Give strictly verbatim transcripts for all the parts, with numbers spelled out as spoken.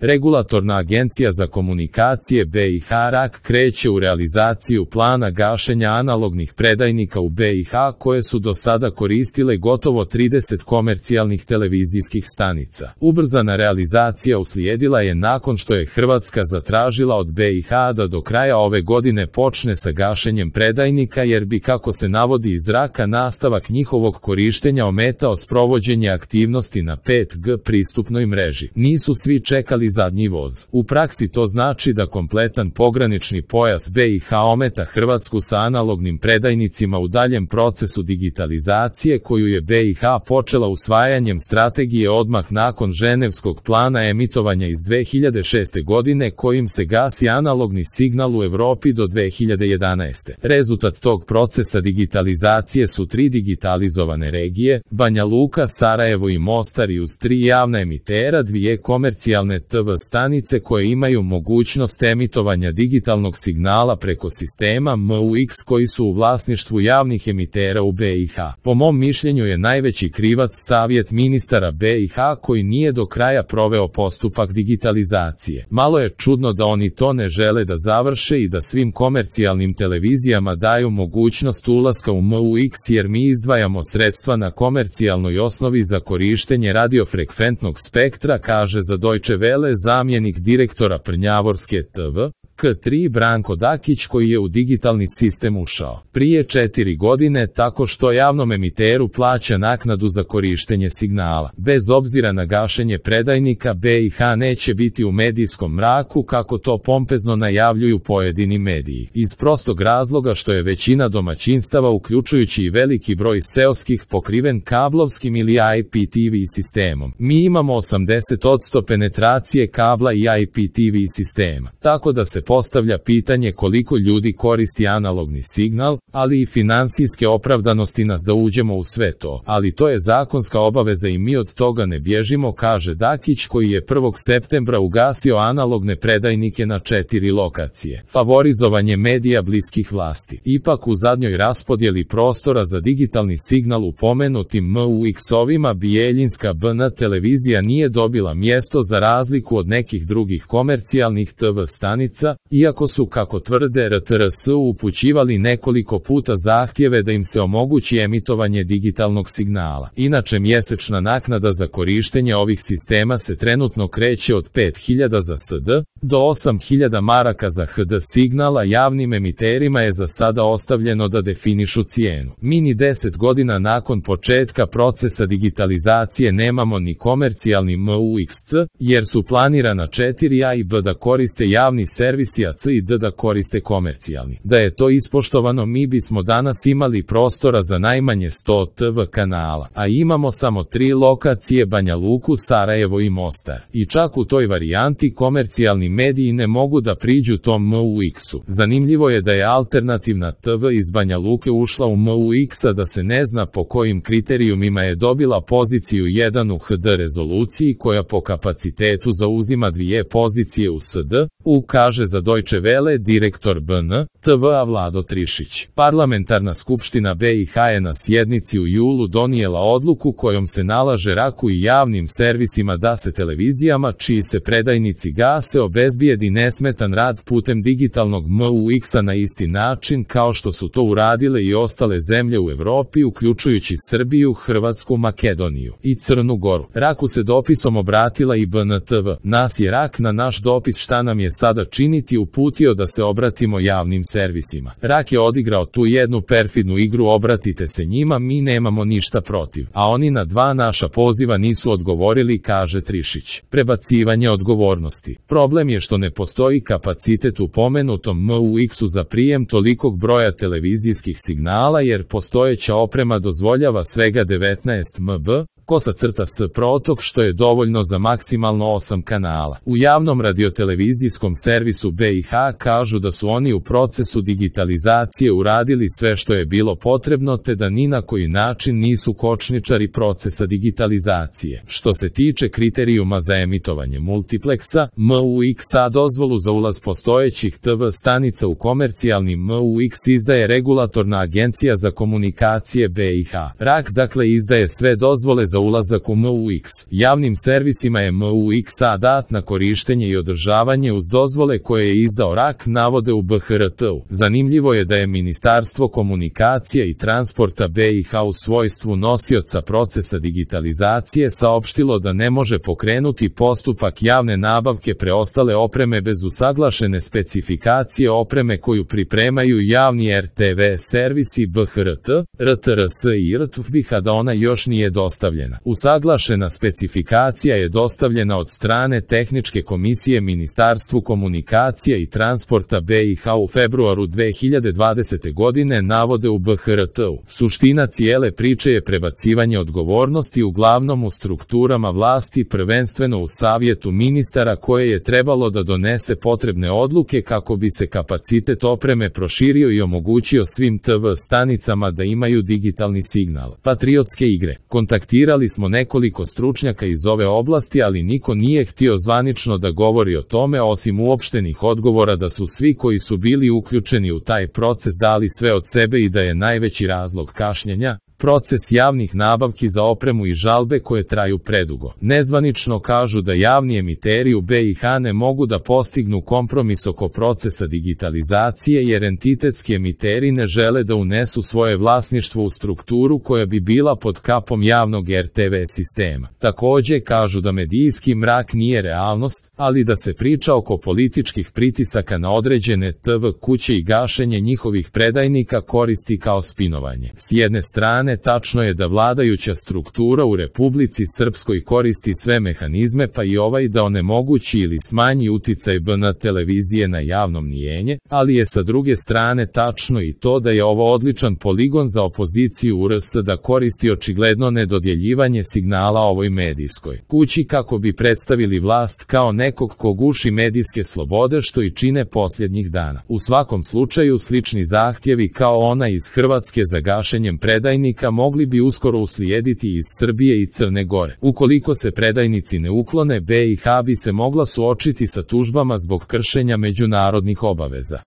Regulatorna agencija za komunikacije B i H R A K kreće u realizaciju plana gašenja analognih predajnika u B i H koje su do sada koristile gotovo trideset komercijalnih televizijskih stanica. Ubrzana realizacija uslijedila je nakon što je Hrvatska zatražila od B i H da do kraja ove godine počne sa gašenjem predajnika jer bi, kako se navodi iz R A K-a, nastavak njihovog korištenja ometao sprovođenje aktivnosti na pet G pristupnoj mreži. Nisu svi čekali zadnji voz. U praksi to znači da kompletan pogranični pojas B i H ometa Hrvatsku sa analognim predajnicima u daljem procesu digitalizacije koju je B i H počela usvajanjem strategije odmah nakon Ženevskog plana emitovanja iz dve hiljade šeste godine kojim se gasi analogni signal u Europi do dve hiljade jedanaeste. Rezultat tog procesa digitalizacije su tri digitalizovane regije, Banja Luka, Sarajevo i Mostar, i uz tri javna emitera dvije komercijalne T V stanice koje imaju mogućnost emitovanja digitalnog signala preko sistema M U X koji su u vlasništvu javnih emitera u B i H. Po mom mišljenju je najveći krivac Savjet ministara B i H koji nije do kraja proveo postupak digitalizacije. Malo je čudno da oni to ne žele da završe i da svim komercijalnim televizijama daju mogućnost ulaska u M U X jer mi izdvajamo sredstva na komercijalnoj osnovi za korištenje radiofrekventnog spektra, kaže za Deutsche Welle zamjenik direktora Prnjavorske T V K tri Branko Dakić koji je u digitalni sistem ušao prije četiri godine tako što javnom emiteru plaća naknadu za korištenje signala. Bez obzira na gašenje predajnika B i H neće biti u medijskom mraku kako to pompezno najavljuju pojedini mediji. Iz prostog razloga što je većina domaćinstava uključujući i veliki broj seoskih pokriven kablovskim ili I P T V sistemom. Mi imamo osamdeset posto penetracije kabla i I P T V sistema. Tako da se postavlja pitanje koliko ljudi koristi analogni signal, ali i finansijske opravdanosti nas da uđemo u sve to. Ali to je zakonska obaveza i mi od toga ne bježimo, kaže Dakić koji je prvog septembra ugasio analogne predajnike na četiri lokacije. Favorizovanje medija bliskih vlasti. Ipak u zadnjoj raspodjeli prostora za digitalni signal u pomenutim M U X-ovima Bijeljinska B N televizija nije dobila mjesto za razliku od nekih drugih komercijalnih T V stanica, iako su, kako tvrde R T R S, upućivali nekoliko puta zahtjeve da im se omogući emitovanje digitalnog signala. Inače, mjesečna naknada za korištenje ovih sistema se trenutno kreće od pet hiljada za S D do osam hiljada maraka za H D signal, a javnim emiterima je za sada ostavljeno da definišu cijenu. Mi ni deset godina nakon početka procesa digitalizacije nemamo ni komercijalni M U X C, jer su planirana četiri A i B da koriste javni servisi, a C i D da koriste komercijalni. Da je to ispoštovano, mi bismo danas imali prostora za najmanje sto T V kanala, a imamo samo tri lokacije: Banja Luku, Sarajevo i Mostar. I čak u toj varijanti komercijalni mediji ne mogu da priđu tom M U X-u. Zanimljivo je da je alternativna T V iz Banja Luke ušla u M U X, a da se ne zna po kojim kriterijumima je dobila poziciju jedan u H D rezoluciji koja po kapacitetu zauzima dvije pozicije u S D, u kaže za Deutsche Welle direktor B N T V-a Vlado Trišić. Parlamentarna skupština B i H je na sjednici u julu donijela odluku kojom se nalaže R A K-u i javnim servisima da se televizijama čiji se predajnici gase obezbijedi nesmetan rad putem digitalnog M U X-a na isti način kao što su to uradile i ostale zemlje u Europi, uključujući Srbiju, Hrvatsku, Makedoniju i Crnu Goru. R A K-u se dopisom obratila i B N T V. Nas je R A K na naš dopis šta nam je sada činiti uputio da se obratimo javnim servisima. R A K je odigrao tu jednu perfidnu igru, obratite se njima, mi nemamo ništa protiv, a oni na dva naša poziva nisu odgovorili, kaže Trišić. Prebacivanje odgovornosti. Problem je što ne postoji kapacitet u pomenutom M U X-u za prijem tolikog broja televizijskih signala jer postojeća oprema dozvoljava svega devetnaest M B, kosa crta s protok, što je dovoljno za maksimalno osam kanala. U javnom radiotelevizijskom servisu B i H kažu da su oni u procesu digitalizacije uradili sve što je bilo potrebno te da ni na koji način nisu kočničari procesa digitalizacije. Što se tiče kriterijuma za emitovanje multipleksa, M U X-a dozvolu za ulaz postojećih T V stanica u komercijalni M U X izdaje Regulatorna agencija za komunikacije B i H. R A K dakle izdaje sve dozvole za za ulazak u M U X. Javnim servisima je M U X-a dat na korištenje i održavanje uz dozvole koje je izdao R A K, navode u B H R T-u. Zanimljivo je da je Ministarstvo komunikacija i transporta B i H u svojstvu nosioca procesa digitalizacije saopštilo da ne može pokrenuti postupak javne nabavke preostale opreme bez usaglašene specifikacije opreme koju pripremaju javni R T V servisi B H R T, R T R S i R T V B I H, a da ona još nije dostavljena. Usaglašena specifikacija je dostavljena od strane Tehničke komisije Ministarstvu komunikacija i transporta B i H u februaru dve hiljade dvadesete. godine, navode u B H R T-u. Suština cijele priče je prebacivanje odgovornosti uglavnom u strukturama vlasti, prvenstveno u Savjetu ministara koje je trebalo da donese potrebne odluke kako bi se kapacitet opreme proširio i omogućio svim T V stanicama da imaju digitalni signal. Patriotske igre. Kontaktirali smo nekoliko stručnjaka iz ove oblasti, ali niko nije htio zvanično da govori o tome osim uopštenih odgovora da su svi koji su bili uključeni u taj proces dali sve od sebe i da je najveći razlog kašnjenja proces javnih nabavki za opremu i žalbe koje traju predugo. Nezvanično kažu da javni emiteri u B i H ne mogu da postignu kompromis oko procesa digitalizacije jer entitetski emiteri ne žele da unesu svoje vlasništvo u strukturu koja bi bila pod kapom javnog R T V sistema. Takođe kažu da medijski mrak nije realnost, ali da se priča oko političkih pritisaka na određene T V kuće i gašenje njihovih predajnika koristi kao spinovanje. S jedne strane, tačno je da vladajuća struktura u Republici Srpskoj koristi sve mehanizme pa i ovaj da onemogući ili smanji uticaj B N televizije na javno mnijenje, ali je sa druge strane tačno i to da je ovo odličan poligon za opoziciju u R S da koristi očigledno nedodjeljivanje signala ovoj medijskoj kući kako bi predstavili vlast kao nekog ko guši medijske slobode što i čine posljednjih dana. U svakom slučaju slični zahtjevi kao ona iz Hrvatske za gašenjem predajnika mogli bi uskoro uslijediti iz Srbije i Crne Gore. Ukoliko se predajnici ne uklone, B i H bi se mogla suočiti sa tužbama zbog kršenja međunarodnih obaveza.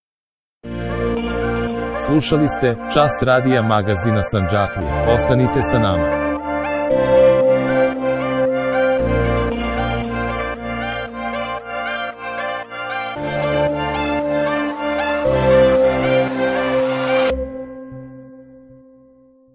Slušali ste Čas radija magazina Sandžaklije. Ostanite sa nama.